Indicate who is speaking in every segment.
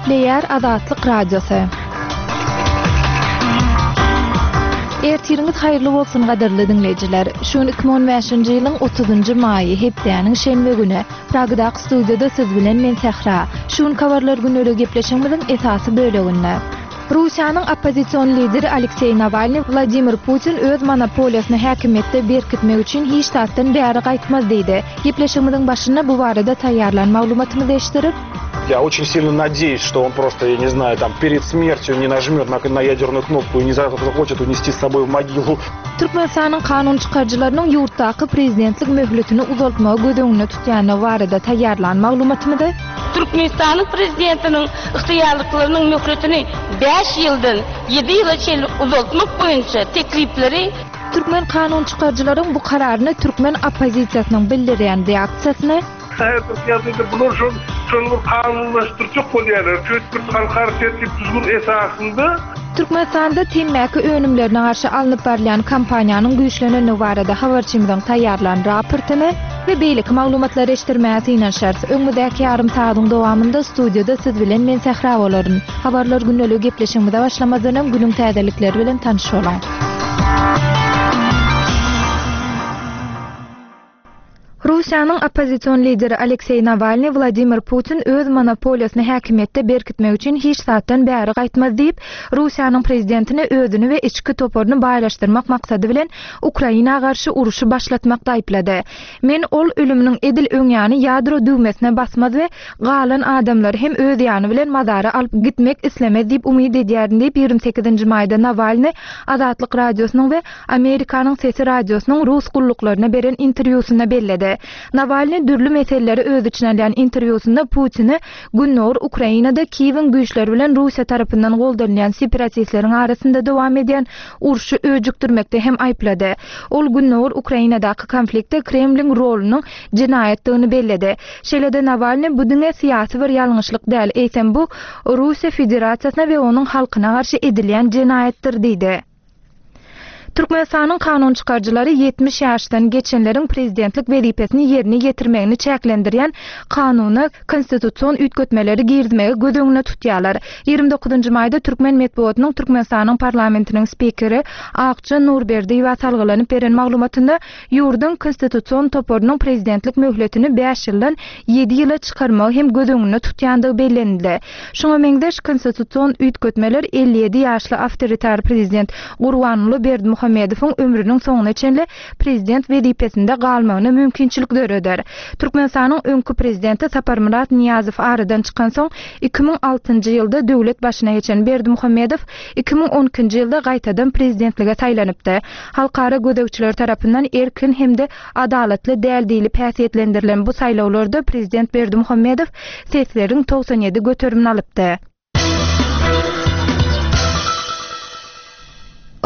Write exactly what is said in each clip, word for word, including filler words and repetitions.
Speaker 1: Gepleýär Azatlyk Radiosy. Ertiriňiz haýyrly bolsun gadyrly diňleýjiler. Şu gün iki müň on bäşinji ýylyň otuzynjy maýy, hepdäniň şenbe güni. Pragadaky studiýada siz bilen men Sähra. Şu gün habarlar günleri gepleşigimiziň esasy böleginde. Russiýanyň oppozision lideri Alekseý Nawalny Wladimir Putin öz monopoliýasyny häkimiýetde berkitmek üçin hiç zatdan bäri gaýtmaz diýdi. Gepleşigimiziň başynda bu barada taýýarlan maglumatymyzy eşitdirip,
Speaker 2: Я очень сильно надеюсь, что он просто, я не знаю, там перед смертью не нажмет на, на ядерную кнопку и не захочет унести с собой в могилу.
Speaker 1: Türkmenistanyň kanun çykaryjylarynyň ýurtdaky prezidentlik möhletini uzaltmagy göz öňünde tutýandygy barada taýýarlan maglumatymyzy
Speaker 3: Türkmenistanyň prezidentiniň ygtyýarlyklarynyň möhletini bäş ýyldan ýedi ýyla çenli uzaltmak boýunça teklipleri
Speaker 1: Türkmen kanun çykaryjylaryň bu kararyny türkmen oppozisiýasynyň bildirýän reaksiýasyny
Speaker 4: Häzirki ýagdaýda bular şol şol bir kanunlaşdyrjak bolýarlar. Çünki halkara tertip düzgün esasynda
Speaker 1: Türkmenistanda temmäki önümlerine garşy alnyp barylýan kampaniýanyň güýçlenendigi barada habarçymyzyň taýýarlan raportyny we beýleki maglumatlary eşitdirmäge synanyşarys. Öňümizdäki ýarym sagatyň dowamynda studiýada siz bilen men Sähra bolaryn. Habarlar gündelik gepleşigimize başlamazdan öň günüň täzelikleri bilen tanyş boluň. Russiýanyň oppozision lideri Alekseý Nawalny Wladimir Putin öz monopoliýasyny häkimiýetde berkitmek üçin hiç zatdan bäri gaýtmaz diýip, Russiýanyň prezidentine özüni we içki toparyny baýlaşdyrmak maksady bilen Ukraina garşy uruşy başlatmakda aýyplady. Men ol ölüminiň edil öň ýany ýadro düwmesine basmaz we galan adamlary hem öz ýany bilen mazara alyp gitmek islemez diýip umyt edýärin diýip ýigrimi sekizinji maýda Nawalny Azatlyk radiosynyň we Amerikanyň Sesi radiosynyň rus gulluklaryna beren interwýusynda belledi. Nawalny dürli meseleleri öz içine alýan interwýusynda Putini Gündogar Ukrainada Kiýewiň güýçleri bilen Russiýa tarapyndan goldanylýan separatistleriň arasynda dowam edýän urşy öjükdirmekde hem aýyplady. Ol Gündogar Ukrainadaky konfliktde Kremliň rolunyň jenaýatdygyny belledi. Şeýle-de Nawalny bu diňe syýasy bir ýalňyşlyk däl, eýsem bu Russiýa Federasiýasyna we onuň halkyna garşy edilýän jenaýatdyr diýdi. Türkmenistanyň kanun çykaryjylary ýetmiş ýaşdan geçenleriň prezidentlik wezipesini ýerine ýetirmegini çäklendirýän kanuna konstitusion üýtgetmeleri girizmegi göz öňünde tutýarlar. Ýigrimi dokuzynjy maýda Türkmen metbugatynyň Türkmenistanyň parlamentiniň spikeri Akja Nurberdiýewa salgylanyp beren maglumatynda ýurduň konstitusion toparynyň prezidentlik möhletini bäş ýyldan ýedi ýyla çykarmagy hem göz öňünde tutýandygy bellenildi. Şoňa meňzeş konstitusion üýtgetmeler elli ýedi ýaşly awtoritar prezident Gurbanguly Berdimuhamedowyň ömrüniň soňuna çenli prezident wezipesinde galmagyna mümkinçilik döreder. Türkmenistanyň öňki prezidenti Saparmyrat Niýazow aradan çykansoň iki müň altynjy ýylda döwlet başyna geçen Berdimuhamedow iki müň on ikinji ýylda gaýtadan prezidentlige saýlanypdy. Halkara gözegçiler tarapyndan erkin hem-de adalatly däl diýlip häsiýetlendirilen bu saýlawlarda prezident Berdimuhamedow sesleriň togsan ýedi göterimini alypdy.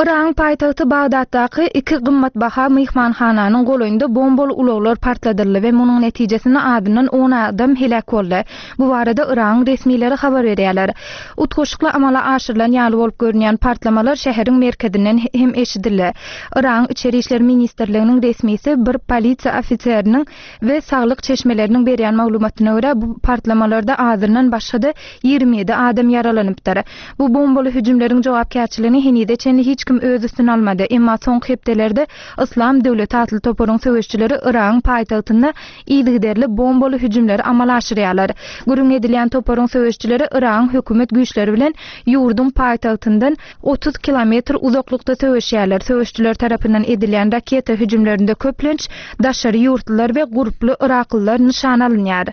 Speaker 1: Yragyň paýtagty Bagdatdaky iki gymmatbaha myhmanhananyň golaýynda bombaly ulaglar partladyldy we munuň netijesinde adyndan on adam heläk boldy. Bu barada Yragyň resmileri habar berýärler. Utgaşykly amala aşyrylan ýaly bolup görünýän partlamalar şäheriň merkezinden hem eşidildi. Yragyň Içeri işler ministrliginiň resmisi bir polisiýa ofiseriniň we saglyk çeşmeleriniň berýän maglumatyna görä bu partlamalarda azyndan başga-da ýigrimi ýedi adam ýaralanypdyr. Bu bombaly hüjümleriň jogapkärçiligini henize çenli hiç kim öz üstüne almady. Emma soňky hepdelerde Islam döwleti atly toparyň söweşçileri Yragyň paýtagtynda yzygiderli bombaly hüjümleri amala aşyrýarlar. Gürrüň edilýän toparyň söweşçileri Yragyň hökümet güýçleri bilen ýurduň paýtagtyndan otuz kilometr uzaklykda söweşýärler. Söweşçiler tarapyndan edilýän raketa hüjümlerinde köplenç daşary ýurtlular we gurply Yraklylar nyşan alynýar.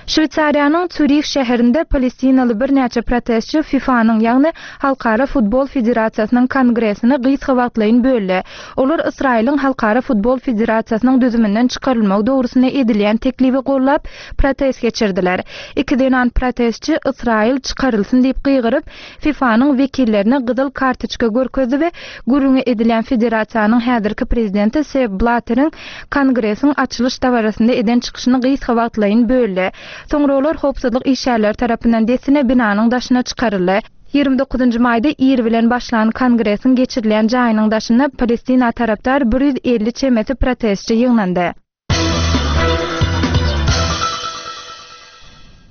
Speaker 1: Şweýsariýanyň Zürih şäherinde Palestinaly birnäçe protestçi FIFA-nyň, ýagny Halkara futbol federasiýasynyň kongresini gysga wagtlaýyn böldi. Olar Ysraýylyň Halkara futbol federasiýasynyň düzüminden çykarylmagy dogrusynda edilýän teklibi gollap protest geçirdiler. Iki zenan protestçi Ysraýyl çykarylsyn diýip gygyryp, FIFA-nyň wekillerine gyzyl kartoçka görkezdi we gürrüňi edilýän federasiýanyň häzirki prezidenti Sepp Blatteriň kongresiň açylyş dabarasynda eden çykyşyny gysga wagtlaýyn böldi. Soňra olar howpsuzlyk işgärleri tarapyndan dessine binanyň daşyna çykaryldy. Ýigrimi dokuzynjy maýda ir bilen başlan kongresiň geçirilýän jaýynyň daşynda Palestina tarapdar bir ýüz elli çemesi protestçi ýygnandy.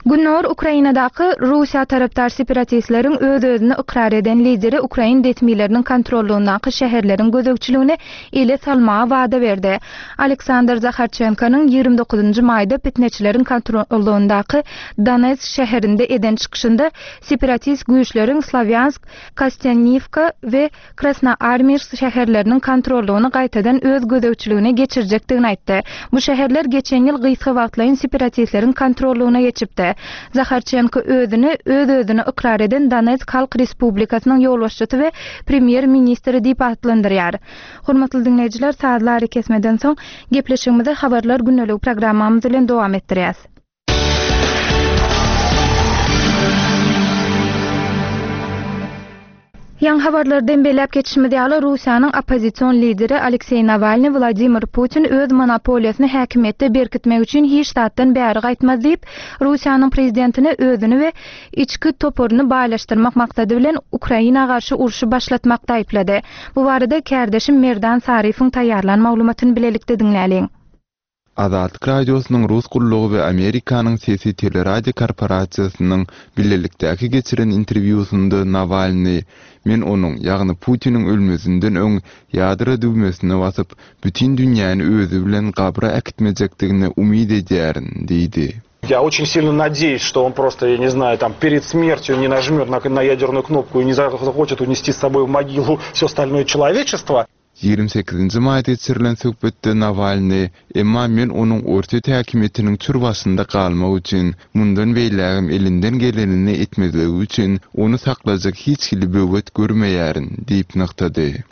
Speaker 1: Gündogar Ukrainadaky Russiýa tarapdar separatistleriň öz-özüni ykrar eden lideri ukrain resmileriniň kontrollugyndaky şäherleriň gözegçiligini ele salmaga wada berdi. Aleksandr Zaharçenkonyň ýigrimi dokuzynjy maýda pitneçileriň kontrollugyndaky Donetsk şäherinde eden çykyşynda separatist güýçleriň Slawýansk, Kostýanniwka we Krasnoarmeýsk şäherleriniň kontrollugyny gaýtadan öz gözegçiligine geçirjekdigini aýtdy. Bu şäherler geçen ýyl gysga wagtlaýyn separatistleriň kontrollugyna geçipdi. Zaharçenko özüni öz-özüni ykrar eden Donetsk Halk Respublikasynyň ýolbaşçysy we premýer-ministri diýip atlandyrýar. Hormatly diňleýjiler, sazly arakesmeden soň gepleşigimizi Habarlar gündeligi programmamyz bilen dowam etdirýäs. Ýaňy habarlardan belläp geçişimiz ýaly, Russiýanyň oppozision lideri Alekseý Nawalny Wladimir Putin öz monopoliýasyny häkimiýetde berkitmek üçin hiç zatdan bäri gaýtmaz diýip, Russiýanyň prezidentine özüni we içki toparyny baýlaşdyrmak maksady bilen Ukraina garşy urşy başlatmakda aýyplady. Bu barada kärdeşim Merdan Saryfyň taýýarlan maglumatyny bilelikde diňläliň.
Speaker 5: Azatlyk Radiosynyň Rus gullugy we Amerikanyň Sesi teleradio korporasiýasynyň bilelikdäki geçiren interwýusynda Nawalny Men onuň, ýagny Putiniň ölmezinden öň ýadro düwmesine basyp, bütin dünýäni özi bilen gabra äkitmejekdigine umyt edýärin diýdi.
Speaker 2: Я очень сильно надеюсь, что он просто, я не знаю, там перед смертью не нажмет на, на ядерную кнопку и не захочет унести с собой в могилу все остальное человечество.
Speaker 5: Ýigrimi sekizinji maýda geçirilen söhbetde Nawalny, Emma men onuň Orsýet häkimiýetiniň çür başynda galmak üçin, mundan beýlägem elinden gelenini etmezligi üçin ony saklajak hiç hili böwet görmeýärin diýip nygtady.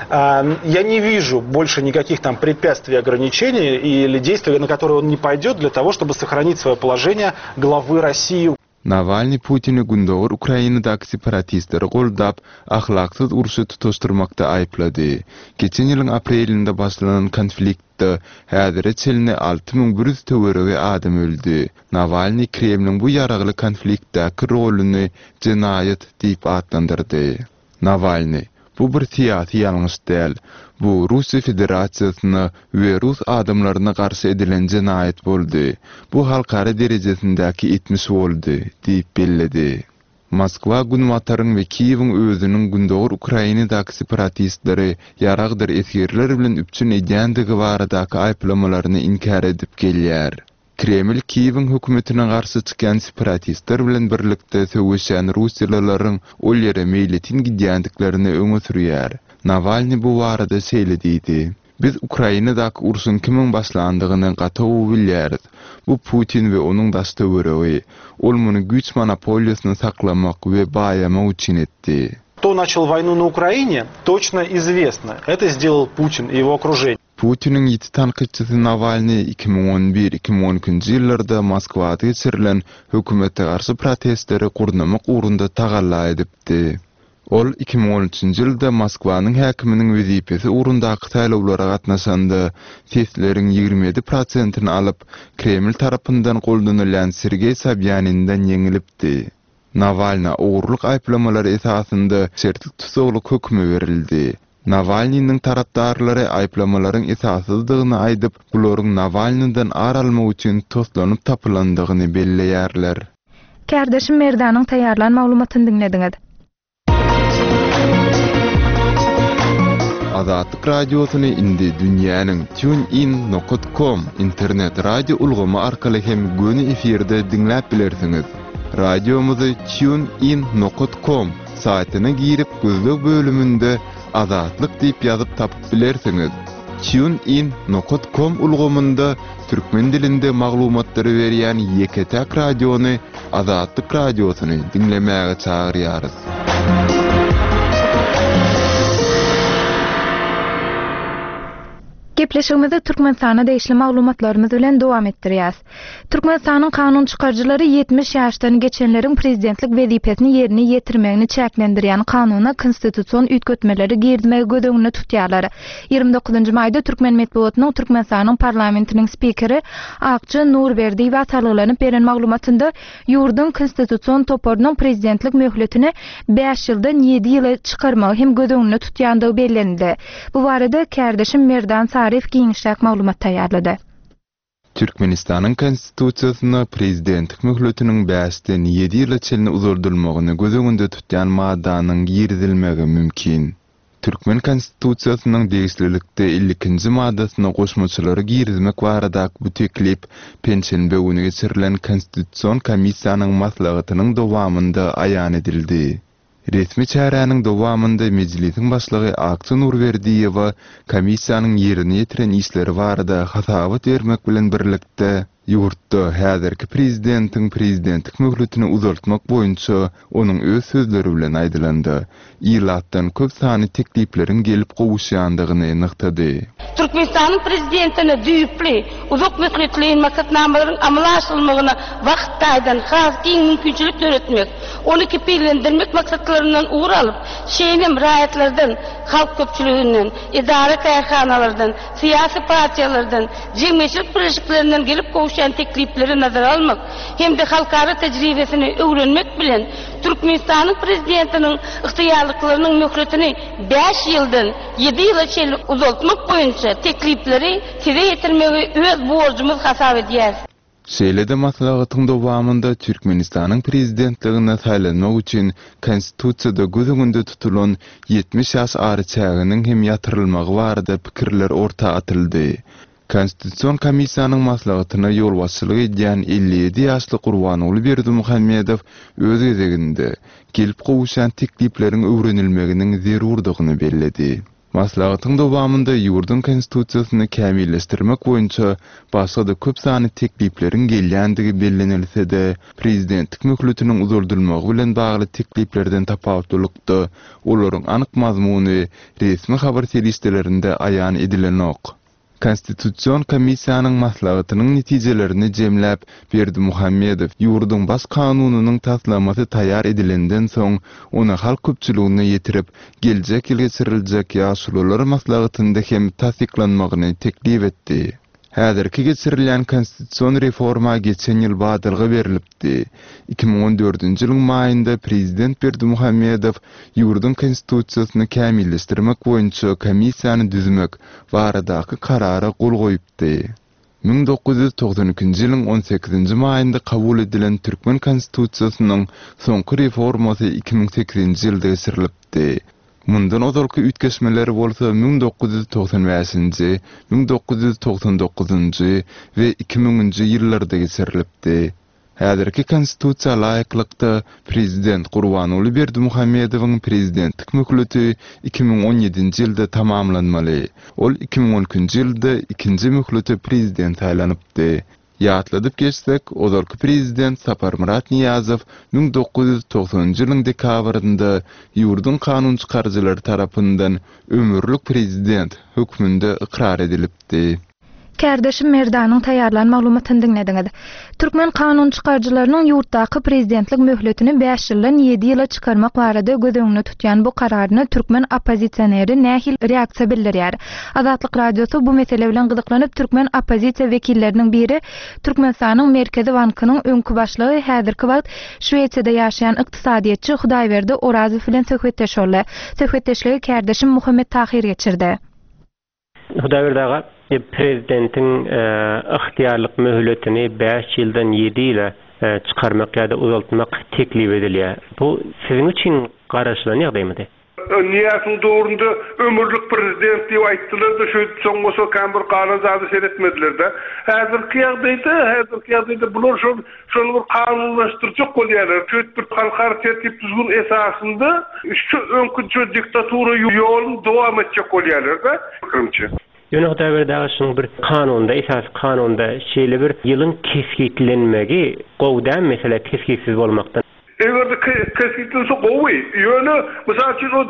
Speaker 2: Я не вижу больше никаких там препятствий, ограничений или действий, на которые он не пойдет для того, чтобы сохранить свое положение главы России.
Speaker 5: Nawalny Putini Gündogar Ukrainadaky separatistleri goldap, ahlaksyz urşy tutaşdyrmakda aýyplady. Geçen ýylyň aprelinde başlanan konfliktde häzire çenli alty müň bir ýüz töweregi adam öldi. Nawalny Kremliň bu ýaragly konfliktdäki roluny jenaýat diýip atlandyrdy. Nawalny, Bu bir syýasy ýalňyş däl. Bu Russiýa Federasiýasyna we rus adamlaryna garşy edilen jenaýat boldy. Bu halkara derejesindäki etmiş boldy, diýip belledi. Moskwa Günbataryň we Kiýewiň özüniň Gündogar Ukrainadaky separatistleri ýaragdyr esgerler bilen üpjün edýändigi baradaky aýyplamalaryny inkär edip gelýär. Kreml Kiýewiň hökümetine garşy çykýan separatistler bilen birlikde söweşýän russiýalylaryň ol ýere meýletin gidýändiklerini öňe sürýär. Nawalny bu barada şeýle diýdi, Biz Ukrainadaky urşuň kimiň başlandygyny gaty gowy bilýäris. Bu Putin we onuň daş-töweregi. Ol muny güýç monopoliýasyny saklamak we baýamak üçin etdi.
Speaker 2: Кто начал войну на Украине, точно известно. Это сделал Путин и его окружение.
Speaker 5: Putiniň ýiti tankytçysy Nawalny iki müň on bir, iki müň on ikinji ýyllarda Moskwada geçirilen hökümete garşy protestleri gurnamak ugrunda tagalla edipdi. Ol iki müň on üçünji ýylda Moskwanyň häkiminiň wezipesi ugrundaky saýlawlara gatnaşanda sesleriň ýigrimi ýedi prosentini alyp, Kreml tarapyndan goldanylýan Sergeý Sobýaninden ýeňilipdi. Nawalna ogurlyk aýyplamalary esasynda şertli tussaglyk hökümi berildi. Nawalnynyň tarapdarlary aýyplamalaryň esassyzdygyny aýdyp, bularyň Nawalnydan ar almak üçin toslanyp tapylandygyny belleýärler.
Speaker 1: Kärdeşim Merdanyň taýýarlan maglumatyny diňlediňiz.
Speaker 5: Azatlyk Radiosyny indi dünýäniň TuneIn nokat com internet radio ulgamy arkaly hem göni efirde diňläp bilersiňiz. Radiomyzy TuneIn nokat com saýtyna girip gözleg bölüminde Azatlyk diýip ýazyp tapyp bilersiňiz. TuneIn nokat com ulgamynda türkmen dilinde maglumatlary berýän ýeke-täk radiony Azatlyk Radiosyny diňlemäge çagyrýarys.
Speaker 1: Gepleşigimizi Türkmenistana degişli maglumatlarymyz bilen dowam etdirýäs. Türkmenistanyň kanun çykaryjylary ýetmiş ýaşdan geçenleriň prezidentlik wezipesini ýerine ýetirmegini çäklendirýän kanuna konstitusion üýtgetmeleri girizmegi göz öňünde tutýarlar. Ýigrimi dokuzynjy maýda Türkmen metbugatynyň Türkmenistanyň parlamentiniň spikeri Akja Nurberdiýewa salgylanyp beren maglumatynda ýurduň konstitusion toparynyň prezidentlik möhletini bäş ýyldan ýedi ýyla çykarmagy hem göz öňünde tutýandygy bellenildi. Bu barada kärdeşim Merdan Saryýew giňişräk maglumat taýýarlady.
Speaker 5: Türkmenistanyň Konstitusiýasynda prezidentlik möhletiniň bäşden ýedi ýyla çenli uzaldylmagyny göz öňünde tutýan maddanyň girizilmegi mümkin. Türkmen Konstitusiýasynyň degişlilikde elli ikinji maddasyna goşmaçalary girizmek baradaky bu teklip penşenbe güni geçirilen Konstitusion komissiýanyň maslahatynyň dowamynda aýan edildi. Resmi çäräniň dowamynda Mejlisiň başlygy Akja Nurberdiýewa komissiýanyň ýerine ýetiren işleri barada hasabat bermek bilen birlikde ýurtda häzirki prezidentiň prezidentlik möhletini uzaltmak boýunça onuň öz sözleri bilen aýdylanda ilatdan köp sany teklipleriň gelip gowuşýandygyny nygtady.
Speaker 3: Türkmenistanyň prezidentine düýpli uzak möhletleýin maksatnamalaryň amala aşyrylmagyna wagt taýdan has giň mümkinçilik döretmek, ony kepillendirmek maksatlaryndan ugur alyp, şeýle hem raýatlardan, halk köpçüliginden, edara-kärhanalardan, syýasy partiýalardan, jemgyýetçilik birleşiklerinden gelip gowuşýan teklipleri nazara almak hem-de halkara tejribesini öwrenmek bilen Türkmenistanyň prezidentiniň ygtyýarlyklarynyň möhletini bäş ýyldan ýedi ýyla çenli uzaltmak boýunça teklipleri size ýetirmegi öz borjumyz hasap edýäris.
Speaker 5: Şeýle-de maslahatyň dowamynda Türkmenistanyň prezidentligine saýlanmak üçin Konstitusiýada göz öňünde tutulan ýetmiş ýaş araçäginiň hem ýatyrylmagy barada pikirler orta atyldy. Konstitusion komissiýanyň maslahatyna ýolbaşçylyk edýän elli ýedi ýaşly Gurbanguly Berdimuhamedow öz gezeginde gelip gowuşýan teklipleriň öwrenilmeginiň zerurdygyny belledi. Maslahatyň dowamynda ýurduň Konstitusiýasyny kämilleşdirmek boýunça başga-da köp sany teklipleriň gelýändigi bellenilse-de, prezidentlik möhletiniň uzaldylmagy bilen bagly tekliplerden tapawutlylykda olaryň anyk mazmuny resmi habar serişdelerinde aýan edilenok. Konstitusion komissiýanyň maslahatynyň netijelerini jemläp, Berdimuhamedow ýurduň baş kanunynyň taslamasy taýýar edilenden soň, ony halk köpçüligine ýetirip, geljek ýyl geçiriljek ýaşulular maslahatynda hem tassyklanmagyny teklip etdi. Häzirki geçirilýän konstitusion reforma geçen ýyl badalga berlipdi. Iki müň on dördünji ýylyň maýynda prezident Berdimuhamedow ýurduň konstitusiýasyny kämilleşdirmek boýunça komissiýany düzmek baradaky karara gol goýupdy. Müň dokuz ýüz togsan ikinji ýylyň on sekizinji maýynda kabul edilen Türkmen konstitusiýasynyň soňky reformasy iki müň sekizinji ýylda geçirilipdi. Mundan ozalky üýtgeşmeler bolsa müň dokuz ýüz togsan bäşinji, müň dokuz ýüz togsan dokuzynjy we iki müňünji ýyllarda geçirilipdi. Häzirki konstitusiýa laýyklykda prezident Gurbanguly Berdimuhamedowyň prezidentlik möhleti iki müň on ýedinji ýylda tamamlanmaly. Ol iki müň on ikinji ýylda ikinji möhlete prezident saýlanypdy. Ýatladyp geçsek, ozalky prezident Saparmyrat Niýazow müň dokuz ýüz togsanynjy ýylyň dekabrynda ýurduň kanun çykaryjylary tarapyndan ömürlik prezident hökmünde ykrar edilipdi.
Speaker 1: Kärdeşim Merdanyň taýýarlan maglumatyny diňlediňiz. Türkmen kanun çykaryjylarynyň ýurtdaky prezidentlik möhletini bäş ýyldan ýedi ýyla çykarmak barada göz öňünde tutýan bu kararyna türkmen oppozisioneri nähili reaksiýa bildirýär? Azatlyk Radiosy bu mesele bilen gyzyklanyp türkmen oppozisiýa wekilleriniň biri Türkmenistanyň Merkezi Bankynyň öňki başlygy häzirki wagt Şwesiýada ýaşaýan ykdysadyýetçi Hudaýberdi Orazow bilen söhbetdeş boldy. Söhbetdeşligi kärdeşim Muhammet Tahir geçirdi.
Speaker 6: Hudaýberdi aga, prezidentiň, e, ygtyýarlyk möhletini bäş ýyldan ýedi ýyla, e, çykarmak ýa-da uzaltmak teklip edilýär. Bu siziň üçin garaşylan ýagdaýmydy?
Speaker 4: Niýazyň döwründe ömürlik prezident diýip aýtdylar-da, şu soň bolsa kän bir galan zady seyretmediler-de. Häzirki ýagdaýda, häzirki ýagdaýda bular şol, şol bir kanunlaşdyrjak bolýarlar. Şu bir halkara tertip düzgün esasynda şu öňkü şu diktatura ýoluny dowam etjek bolýarlar-da, pikirimçe.
Speaker 6: Ýöne Hudaýberdi aga, şunuň bir kanunda, esasy kanunda şeýle bir ýylyň kesgitlenmegi gowy däl mesele kesgitsiz bolmakdan.
Speaker 4: Eger de kesgitlense gowy. Ýöne mysal üçin o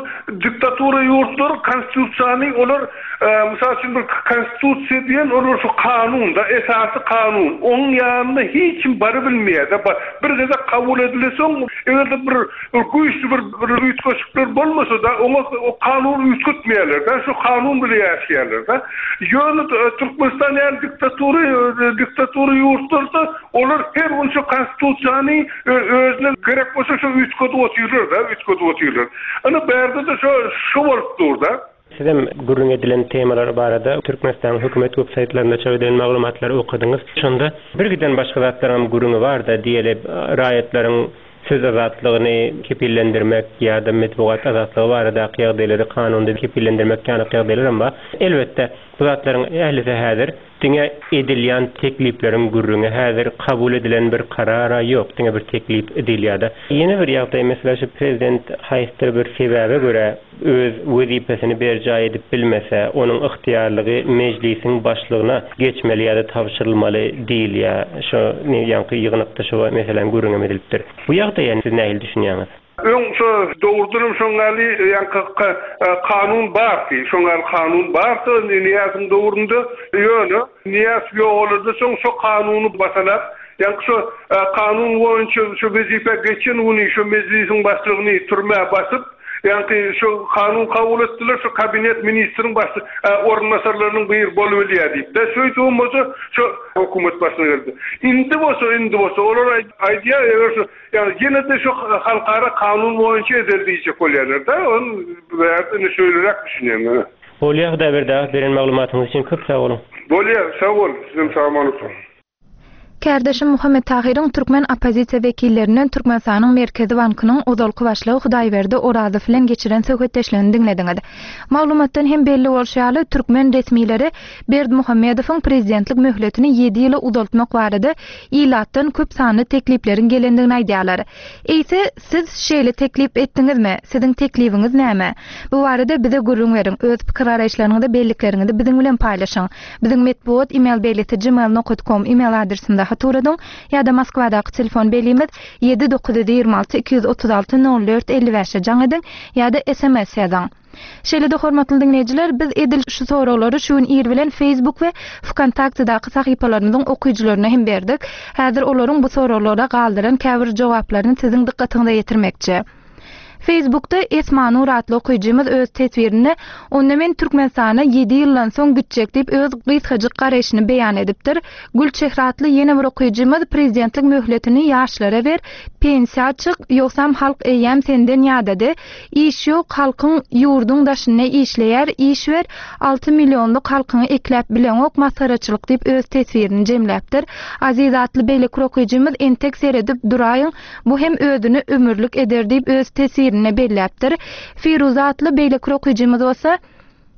Speaker 4: diktatura ýurtlary konstitusiýany olar, e, mysal üçin bir konstitusiýa diýen olar şu kanun da, esasy kanun. Onuň ýanynda hiç kim bary bilmeýär-de. Bir gezek kabul edilse, eger de bir, bir güýçli bir, bir üýtgeşikler bolmasa da oňa o kanun üýtgetmeýärler-de, şu kanun bilen ýaşaýarlar-da. Ýöne, e, Türkmenistan ýaly diktatura, e, diktatura ýurtlarda olar her gün şu konstitusiýany, e, özüne gerek bolsa şu üýtgedip otyrlar-da, üýtgedip otyrlar. Ana bärde de şu, şu bolup dur-da.
Speaker 6: Sizem gürrüň edilen temalar barada Türkmenistanyň hökümet web saýtlarynda çap edilen maglumatlary okadyňyz. Şonda bir giden başga zatlaryň gürrüňi bar-da, diýeli raýatlaryň söz azatlygyny kepillendirmek ýa-da metbugat azatlygy baradaky ýagdaýlary kanunda kepillendirmek ýaly ýagdaýlar hem bar. Elbetde, bu zatlaryň ählisi häzir diňe edilýän teklipleriň gürrüňi, häzir kabul edilen bir karara ýok, diňe bir teklip edilýär. Ýene bir ýagdaý, mesela şu prezident haýsydyr bir sebäbe görä öz wezipesini berjaý edip bilmese, onuň ygtyýarlygy mejlisiň başlygyna geçmeli ýa-da tabşyrylmaly diýilýär. Şu ýaňky ýygnakda şu meselem gürrüň edilipdir. Bu ýagdaýa siz nähili düşünýäňiz?
Speaker 4: Öň şu dogrudanam şoňňaly ýaňky kanun bardy. Şoňňaly kanun bardy, Niýazyň döwründe ýöne Niýaz ýogaldy, soň şu kanuny basalap, ýaňky şu kanun boýunça şu wezipe geçen güni şu mejlisiň başlygyny türmä basyp, ýaňky şu kanun kabul etdiler, şu kabinet ministriň baş orunbasarlarynyň bir bolup bilýär diýip. De şeýdip bolsa şu hökümet başyna geldi. Indi bolsa, indi bolsa olar aýdýar, eger şu ýani ýene de şu halkara kanun boýunça edil diýjek bolýarlar da, on indi şeýleräk düşünýän.
Speaker 6: Bolýar, Hudaýberdi aga, beren maglumatyňyz üçin köp sag boluň.
Speaker 4: Bolýar, sag bol, sizem sag boluň.
Speaker 1: Kärdeşim Muhammet Tahyryň türkmen oppozisiýa wekillerinden Türkmenistanyň Merkezi Bankynyň ozalky başlygy Hudaýberdi Orazow bilen geçiren söhbetdeşligini diňlediňiz. Maglumatdan hem belli bolşy ýaly, türkmen resmileri Berdimuhamedowyň prezidentlik möhletini ýedi ýyla uzaltmak barada ilatdan köp sanly teklipleriň gelendigini aýdýarlar. Eýse, siz şeýle teklip etdiňizmi? Siziň teklibiňiz näme? Bu barada bize gürrüň beriň. Öz pikir garaýyşlaryňyzy, bellikleriňizi biziň bilen paýlaşyň. Biziň metbugat e-mail belgisi gmail nokta com e-mail adresinde haturadyň ýa-da Moskwadaky telefon belgimiz ýedi dokuz ýüz ýigrimi alty iki ýüz otuz alty nol dört elli bäşe jaň ediň ýa-da S M S ýazyň. Şeýle-de hormatly diňleýjiler, biz edil şu soraglary şu gün ir bilen Facebook we Vkontaktedaky sahypalarymyzyň okyjylaryna hem berdik. Häzir olaryň bu soraglara galdyran käbir jogaplaryny siziň dykgatyňyza ýetirmekçi. Facebookda Esmanur atly okyjymyz öz teswirinde onda men Türkmenistana ýedi ýyldan soň gitjek diýip öz gysgajyk garaýşyny beýan edipdir. Gülçehre atly ýene bir okyjymyz prezidentlik möhletini ýaşlara ber, pensiýa çyk, ýogsam halk eýýäm senden ýadady. Iş ýok, halkyň ýurduň daşynda işleýär, iş ber, alty millionlyk halkyňy ekläp bileňok, masgaraçylyk diýip öz teswirini jemläpdir. Aziz atly beýleki okyjymyz entek seredip duraýyň, bu hem özüni ömürlik eder diýip öz teswirini belläpdir. Firuza atly beýleki okyjymyz bolsa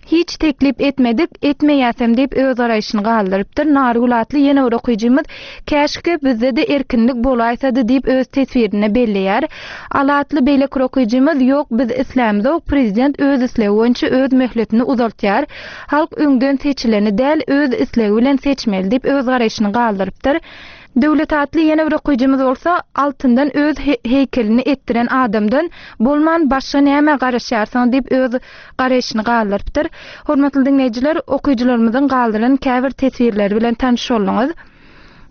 Speaker 1: hiç teklip etmedik, etmeýäsem diýip öz garaýşyny galdyrypdyr. Nargül atly ýene bir okyjymyz käşke bizde de erkinlik bolaýsady diýip öz teswirini belleýär. Ala atly beýleki okyjymyz ýok, biz islämzok, prezident öz islegi boýunça öz möhletini uzaltýar. Halk öňden seçileni däl, öz islegi bilen seçmeli diýip öz garaýşyny galdyrypdyr. Döwlet atly ýene bir okyjymyz bolsa altyndan öz heýkelini etdiren adamdan bolman başga näme garaşýarsyň diýip öz garaýşyny galdyrypdyr. Hormatly diňleýjiler, okyjylarymyzyň galdyran käbir teswirleri bilen tanyş bolduňyz.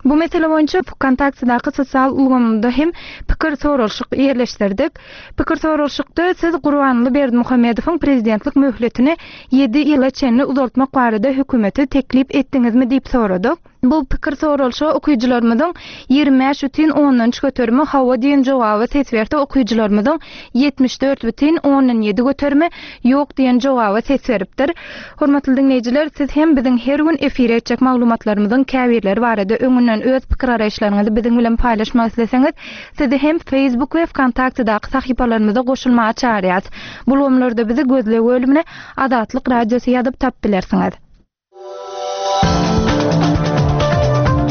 Speaker 1: Bu mesele boýunça Vkontaktedaky sosial ulgamynda hem pikir soralyşyk ýerleşdirdik. Pikir soralyşykda siz Gurbanguly Berdimuhamedowyň prezidentlik möhletini ýedi ýyla çenli uzaltmak barada hökümete teklip etdiňizmi diýip soradyk. Bu pikir soralyşyga okyjylarymyzyň ýigrimi bäş bütin ondan üç göterimi hawa diýen jogaby ses berdi. Okyjylarymyzyň ýetmiş dört bütin ondan ýedi göterimi ýok diýen jogaby ses beripdir. Hormatly diňleýjiler, siz hem biziň her gün efire etjek maglumatlarymyzyň käbirleri barada öňünden öz pikir garaýyşlaryňyzy biziň bilen paýlaşmak isleseňiz, sizi hem Facebook we Vkontaktedaky sahypalarymyza goşulmaga çagyrýarys. Bu ulgamlarda bizi gözleg bölümine Azatlyk Radiosy ýazyp tap bilersiňiz.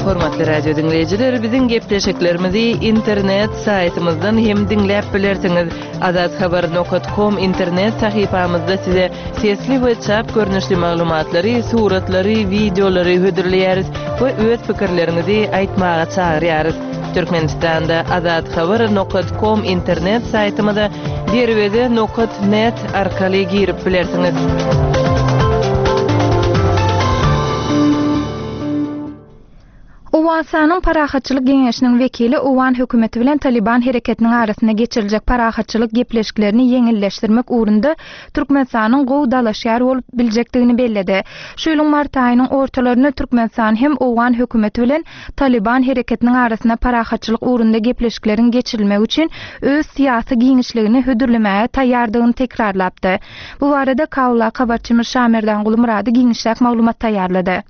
Speaker 7: Hormatly radio dinleýjiler, biziň gepleşiklerimizi internet saýtymyzdan hem diňläp bilersiňiz. Azathabar nokta com internet sahypamyzda size sesli we çap görnüşli maglumatlary, suratlary, wideolary hödürleýäris we öz pikirleriňizi aýtmaga çagyrýarys. Türkmenistanda azathabar nokta com internet saýtymyza derweze nokta net arkaly girip bilersiňiz.
Speaker 1: Owganystanyň Parahatçylyk Geňeşiniň wekili Owgan hökümeti bilen Taliban hereketiniň arasynda geçiriljek parahatçylyk gepleşiklerini ýeňilleşdirmek ugrunda Türkmenistanyň gowy dalaşgär bolup biljekdigini belledi. Şu ýylyň mart aýynyň ortalarynda Türkmenistan hem Owgan hökümeti bilen Taliban hereketiniň arasynda parahatçylyk ugrunda gepleşikleriň geçirilmegi üçin öz syýasy giňişligini hödürlemäge taýýardygyny tekrarlapdy. Bu barada Kabuldaky habarçymyz Şamerdan Gulmyrady giňişräk maglumat taýýarlady.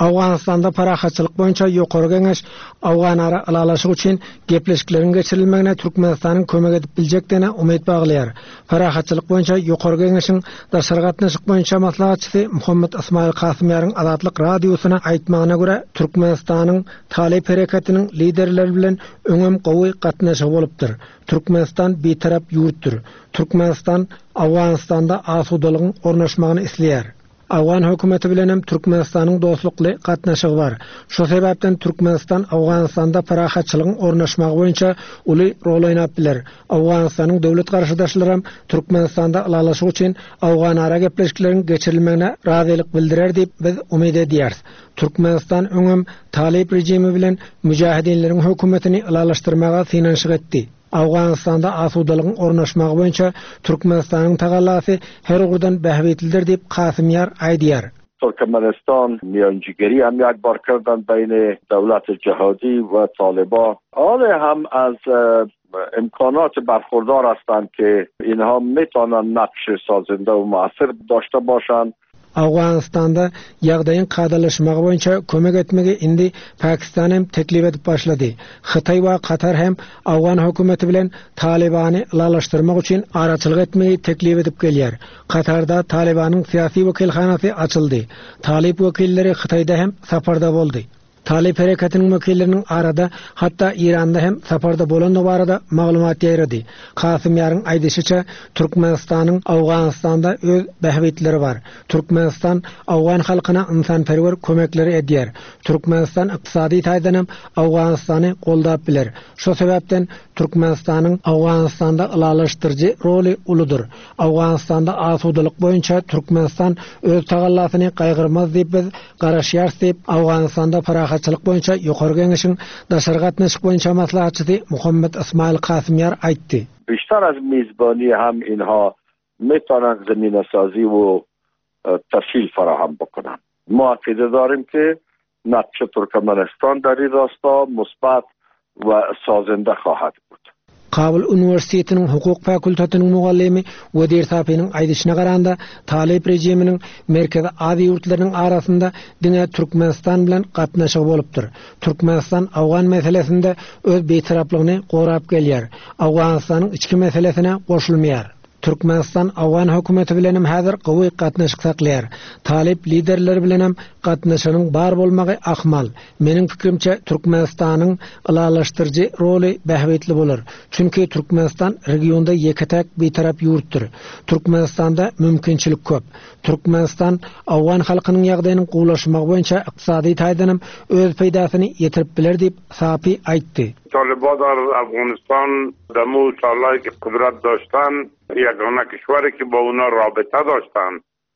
Speaker 8: Owganystanda parahatçylyk boýunça Ýokary Geňeş Owganara ylalaşyk üçin gepleşikleriň geçirilmegine Türkmenistanyň kömek edip biljekdigine umyt baglaýar. Parahatçylyk boýunça Ýokary Geňeşiň daşary gatnaşyk boýunça maslahatçysy Muhammet Ismail Kasymýaryň Azatlyk radiosyna aýtmagyna görä, Türkmenistanyň Talyp hereketiniň liderleri bilen öňem gowy gatnaşygy bolupdyr. Türkmenistan bitarap ýurtdur. Türkmenistan Owganystanda asudalygyň ornaşmagyny isleýär. Owgan hökümeti bilenem Türkmenistanyň dostlukly gatnaşygy bar. Şu sebäpden Türkmenistan Owganystanda parahatçylygyň ornaşmagy boýunça uly rol oýnap biler. Owganystanyň döwlet garşydaşlaram Türkmenistanda ylalaşyk üçin Owganara gepleşikleriň geçirilmegine razylyk bildirer diýip biz umyt edýäris. Türkmenistan öňem Talyp rejimi bilen müjahidinleriň hökümetini ylalaşdyrmaga synanyşyk etdi. Owganystanda asudalygyň ornaşmagy boýunça Türkmenistanyň tagallasy her ugurdan bähbitlidir diýip Kasymýar aýdýar.
Speaker 9: Türkmenistan میانجیگری هم یک بار کردن بین دولت جهادی و طالبان. حالا هم از امکانات برخوردار هستند که اینها میتونن نقش سازنده و مؤثر داشته باشند.
Speaker 8: Owganystanda ýagdaýyň kadalaşmagy boýunça kömek etmegi indi Pakistan hem teklip edip başlady. Hytaý we Katar hem Owgan hökümeti bilen Talibany ylalaşdyrmak üçin araçylyk etmegi teklip edip gelýär. Katarda Talibanyň syýasy wekilhanasy açyldy. Talip wekilleri Hytaýda hem saparda boldy. Talip hereketiniň wekilleriniň arada hatda Iranda hem saparda bolandygy barada maglumat ýaýrady. Kasymýaryň aýdyşyça Türkmenistanyň Owganystanda öz bähbitleri bar. Türkmenistan Owgan halkyna ynsanperwer kömekleri edýär. Türkmenistan ykdysady taýdan hem Owganystany goldap biler. Şu sebäpden Türkmenistanyň Owganystanda ylalaşdyryjy roly uludyr. Owganystanda asudalyk boýunça Türkmenistan öz tagallasyny gaýgyrmaz diýip biz garaşýarys diýip Owganystanda parahatçylyk boýunça Ýokary Geňeşiň daşary gatnaşyk boýunça maslahatçysy Muhammet Ismail Kasymýar aýtdy.
Speaker 9: بیشتر از میزبانی هم اینها میتونن زمینه سازی و تسهیل فراهم بکنن. ما عقیده داریم که نقش ترکمنستان در این راستا مثبت و سازنده خواهد بود.
Speaker 8: Kabul Üniversitetiniň hukuk fakultetiniň mugallimi Wedir Sapiniň aýdyşyna garanda Talip rejiminiň Merkezi Aziýa ýurtlarynyň arasynda diňe Türkmenistan bilen gatnaşygy bolupdyr. Türkmenistan Owgan meselesinde öz bitaraplygyny gorap gelýär. Owganystanyň içki meselesine goşulmaýar. Türkmenistan Owgan hökümeti bilenem häzir gowy gatnaşyk saklaýar. Talip liderleri bilenem gatnaşygyň bar bolmagy ahmal. Meniň pikrimçe Türkmenistanyň ylalaşdyryjy roly bähbitli bolar. Çünki Türkmenistan regionda ýeke-täk bitarap ýurtdur. Türkmenistanda mümkinçilik köp. Türkmenistan Owgan halkynyň ýagdaýynyň gowulaşmagy boýunça ykdysady taýdanam öz peýdasyny ýetirip biler diýip Sapi aýtdy.
Speaker 10: طالبان در افغانستان دمو سالهایی که قدرت داشتن یگانه کشوری که با اونا رابطه داشتن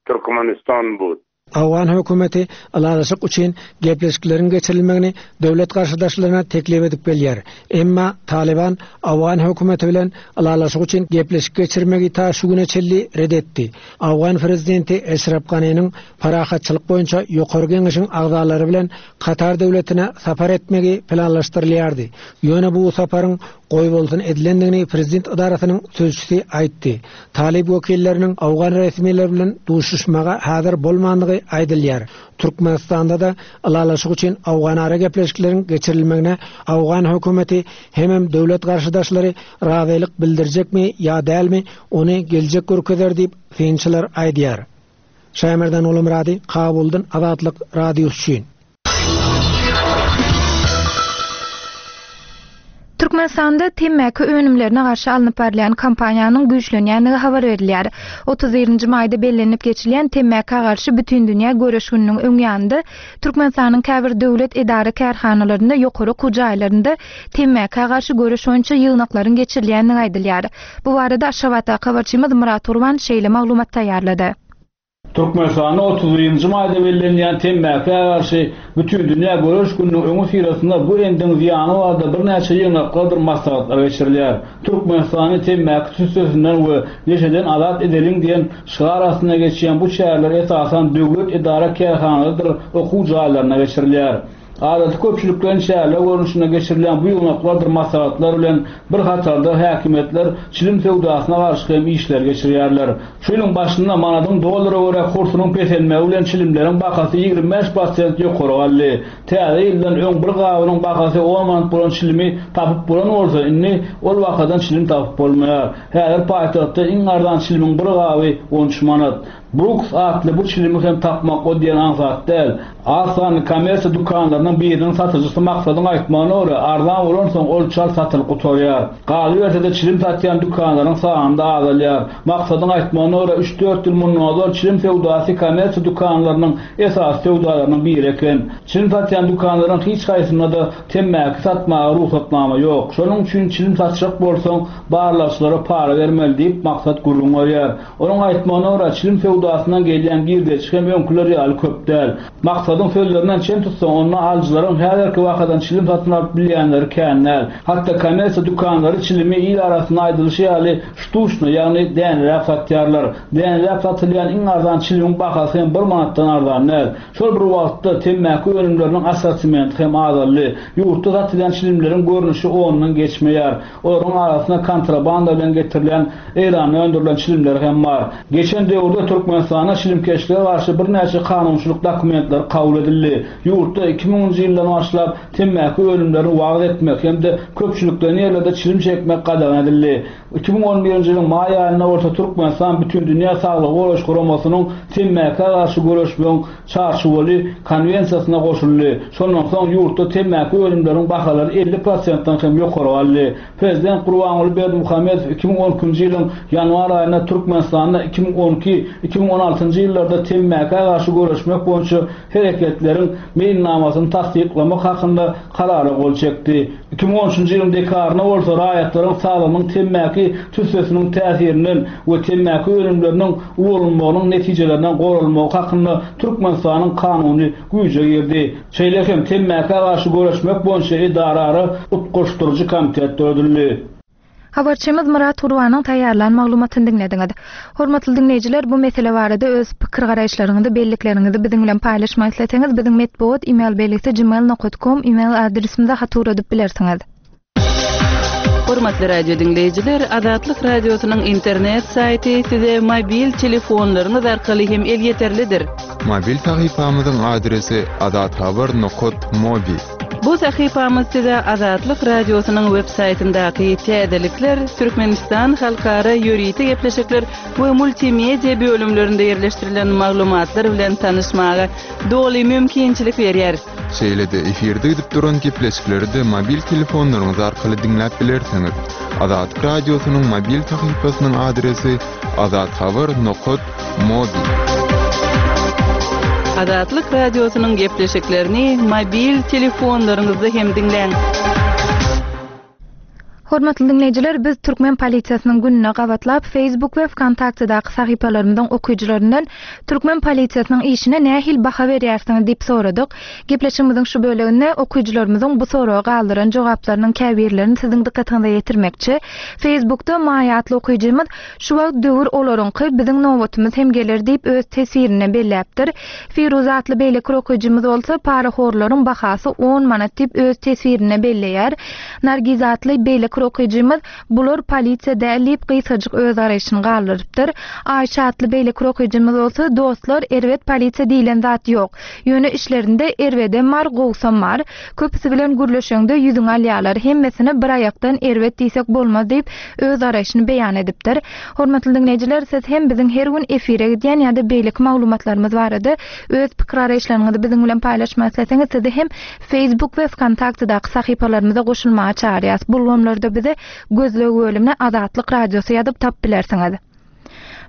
Speaker 10: ترکمنستان بود.
Speaker 8: Owgan hökümeti ylalaşyk üçin gepleşikleriň geçirilmegini döwlet garşydaşlaryna teklip edip gelýär. Emma Taliban Owgan hökümeti bilen ylalaşyk üçin gepleşik geçirmegi ta şu güne çenli red etdi. Owgan prezidenti Eşref Ganiniň parahatçylyk boýunça Ýokary Geňeşiň agzalary bilen Katar döwletine sapar etmegi planlaşdyrylýardy. Ýöne bu saparyň goýbolsun edilendigini prezident idarasynyň sözçüsi aýtdy. Talip wekilleriniň Owgan resmileri bilen duşuşmaga häzir bolmandygy aýdylýar. Türkmenistanda da ylalaşyk üçin Owganara gepleşikleriň geçirilmegine Owgan hökümeti hemem döwlet garşydaşlary razylyk bildirjekmi ýa dälmi ony geljek görkezer diýip synçylar aýdýar. Şaýmerdan Ulumrady, Kabuldan Azatlyk radiosy üçin.
Speaker 1: Türkmenistanda temmäki önümlerine garşy alnyp barylýan kampaniýanyň güýçlenýändigi habar berilýär. otuz birinji maýda bellenip geçilýän temmäkä garşy bütün dünýä göreş gününiň öň ýanynda Türkmenistanyň käbir döwlet edara kärhanalarynda ýokary okuw jaýlarynda temmäkä garşy göreş boýunça ýygnaklaryň geçirilýändigi aýdylýar. Bu barada Aşgabatdaky habarçymyz Murat Urban şeýle maglumat taýýarlady.
Speaker 11: Türkmenistanda otuz birinji maýda bellenýän temmäkä garşy Bütindünýä göreş gününiň öňüsyrasynda bu endigiň zyýany barada birnäçe ýygnaklardyr maslahatlar geçirilýär. Türkmenistany temmäki tüssesinden we neşeden azat edeliň diýen şygar astynda geçýän bu çäreler esasan döwlet edara-kärhanalarydyr okuw jaýlarynda geçirilýär. Adaty köpçülikleýin çäreler görnüşinde geçirilýän bu ýygnaklardyr maslahatlar bilen bir hatarda häkimiýetler çilim söwdasyna garşy hem işleri geçirýärler. Şu ýylyň başynda manadyň dollara görä kursunyň peselmegi bilen çilimleriň bahasy ýigrimi bäş prosent ýokary galdy. Täze ýyldan öň bir gabynyň bahasy on manat bolan çilimi tapyp bolan bolsa, indi ol bahadan çilim tapyp bolmaýar. Häzir paýtagtda iň arzan çilimiň bir gaby on üç manat. Brooks atly bu çilimi hem tapmak o diýen aňsat däl. Az sanly kommersiýa dükanlarynyň biriniň satyjysy Maksadyň aýtmagyna görä, arzan bolansoň ol çalt satylyp gutarýar. Galyberse-de çilim satýan dükanlaryň sany-da azalýar. Maksadyň aýtmagyna görä, üç-dört ýyl mundan ozal çilim söwdasy kommersiýa dükanlarynyň esasy söwdalarynyň biri eken. Çilim satýan dükanlaryň hiç haýsynda-da temmäki satmaga rugsatnama ýok. Şonuň üçin çilim satjak bolsaň, barlagçylara para bermeli diýip, Maksat gürrüň berýär. Onuň aýtmagyna görä, çilim söwdasyndan gelýän girdeji hem öňküler ýaly köp däl. Maksadyň sözlerinden çen tutsaň, onda alyjylaryň häzirki bahadan çilim satyn alyp bilýänleri kän däl. Hatda kommersiýa dükanlary çilimi il arasynda aýdylyşy ýaly ştuşny, ýagny däneläp satýarlar. Däneläp satylýan iň arzan çilimiň bahasy hem bir manatdan arzan däl. Şol bir wagtda temmäki önümleriniň assortimenti hem azaldy. Ýurtda satylýan çilimleriň görnüşi ondan geçmeýär. Olaryň arasynda kontrabanda bilen getirilen Eýranda öndürilen çilimler hem bar. Geçen döwürde Türkmenistanda çilimkeşlige garşy birnäçe kanunçylyk dokumentleri kabul edildi. Ýurtda iki müňünji ýyldan başlap temmäki önümlerini wagyz etmek hem-de köpçülikleýin ýerlerde çilim çekmek gadagan edildi. iki müň on birinji ýylyň maý aýynda bolsa Türkmenistan Bütindünýä Saglygy Goraýyş Guramasynyň temmäkä garşy göreşmegiň çarçuwaly konwensiýasyna goşuldy. Şondan soň ýurtda temmäki önümleriniň bahalary elli prosentden hem ýokary galdy. Prezident Gurbanguly Berdimuhamedow iki müň on ikinji ýylyň ýanwar aýynda Türkmenistanda iki müň on iki iki müň on altynjy ýyllarda temmäkä garşy göreşmek boýunça hereketleriň meýilnamasyny tassyklamak hakynda karara gol çekdi. iki müň on üçünji ýylyň dekabrynda bolsa raýatlaryň saglygynyň temmäki tüssesiniň täsirinden we temmäki önümleriniň ulanylmagynyň netijelerinden goralmagy hakynda Türkmenistanyň kanuny güýje girdi. Şeýle hem temmäkä garşy göreşmek boýunça edarara utgaşdyryjy komitet döredildi.
Speaker 1: Habarçymyz Murat Gurbanyň taýýarlan maglumatyny diňlediňiz. Hormatly diňleýjiler, bu mesele barada öz pikir garaýyşlaryňyzy, bellikleriňizi biziň bilen paýlaşmak isleseňiz, biziň metbugat e-mail belgisi gmail nokta com e-mail adresimize hat ugradyp bilersiňiz.
Speaker 7: Hormatly radio diňleýjiler, Azatlyk radiosynyň internet saýty size mobil telefonlaryňyz arkaly hem elýeterlidir.
Speaker 5: Mobil sahypamyzyň adresi azathabar nokta mobi.
Speaker 7: Bu sahypamyz size Azatlyk radiosynyň web saýtyndaky täzelikler, Türkmenistan halkara ýörite gepleşikler we multimedia bölümlerinde ýerleşdirilen maglumatlar bilen tanyşmaga doly mümkinçilik berýär.
Speaker 5: Şeýle-de efirde gidip duran gepleşikleri de mobil telefonlaryňyz arkaly diňläp bilersiňiz. Azatlyk radiosynyň mobil sahypasynyň adresi azathabar nokta mobi.
Speaker 7: Azatlyk radiosynyň gepleşiklerini mobil telefonlaryňyzda hem diňläň.
Speaker 1: Hormatly diňleýjiler, biz Türkmen polisiýasynyň gününe gabatlap Facebook we VKontaktedaky sahypalarymyzyň okyjylaryndan Türkmen polisiýasynyň işine nähili baha berýärsiňiz diýip soradyk. Gepleşigimiziň şu böleginde okyjylarymyzyň bu soraga galdyran jogaplarynyň käbirlerini siziň dykgatyňyza ýetirmekçi. Facebookda Maýa atly okyjymyz şu wagt döwür olaryňky biziň nobatymyz hem geler diýip öz teswirine belläpdir. Firuz atly beýleki okyjymyz bolsa parahorlaryň bahasy on manat diýip öz teswirine belleýär. Nargiz atly beýleki okyjymyz bular polisiýa däl diýip gysgajyk öz garaýşyny galdyrypdyr. Aýşa atly beýleki okyjymyz bolsa dostlar erbet polisiýa diýlen zat ýok. Ýöne işlerinde erbedem bar, gowsam bar. Köpüsi bilen gürleşeňde ýüzüňi alýarlar. Hemmesine bir aýakdan erbet diýsek bolmaz diýip öz garaýşyny beýan edipdir. Hormatly diňleýjiler, siz hem biziň her gün efire gidýän ýa-da beýleki maglumatlarymyz barada öz pikir garaýyşlaryňyzy biziň bilen paýlaşmak isleseňiz, sizi hem Facebook we VKontaktedaky sahypalarymyza goşulmaga çagyrýarys. Bu ulgamlarda bize gözleg bölümine Azatlyk radiosy ýazyp tap bilersiňiz.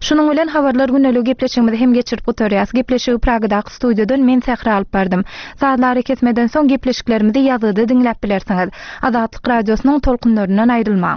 Speaker 1: Şunuň bilen habarlar gündelik gepleşigimizi hem geçirip gutarýarys. Gepleşigi Pragadaky studiýadan men Sähra alyp bardym. Sazlary kesmeden soň gepleşiklerimizi ýazgyda diňläp bilersiňiz. Azatlyk radiosynyň tolkunlaryndan aýrylmaň.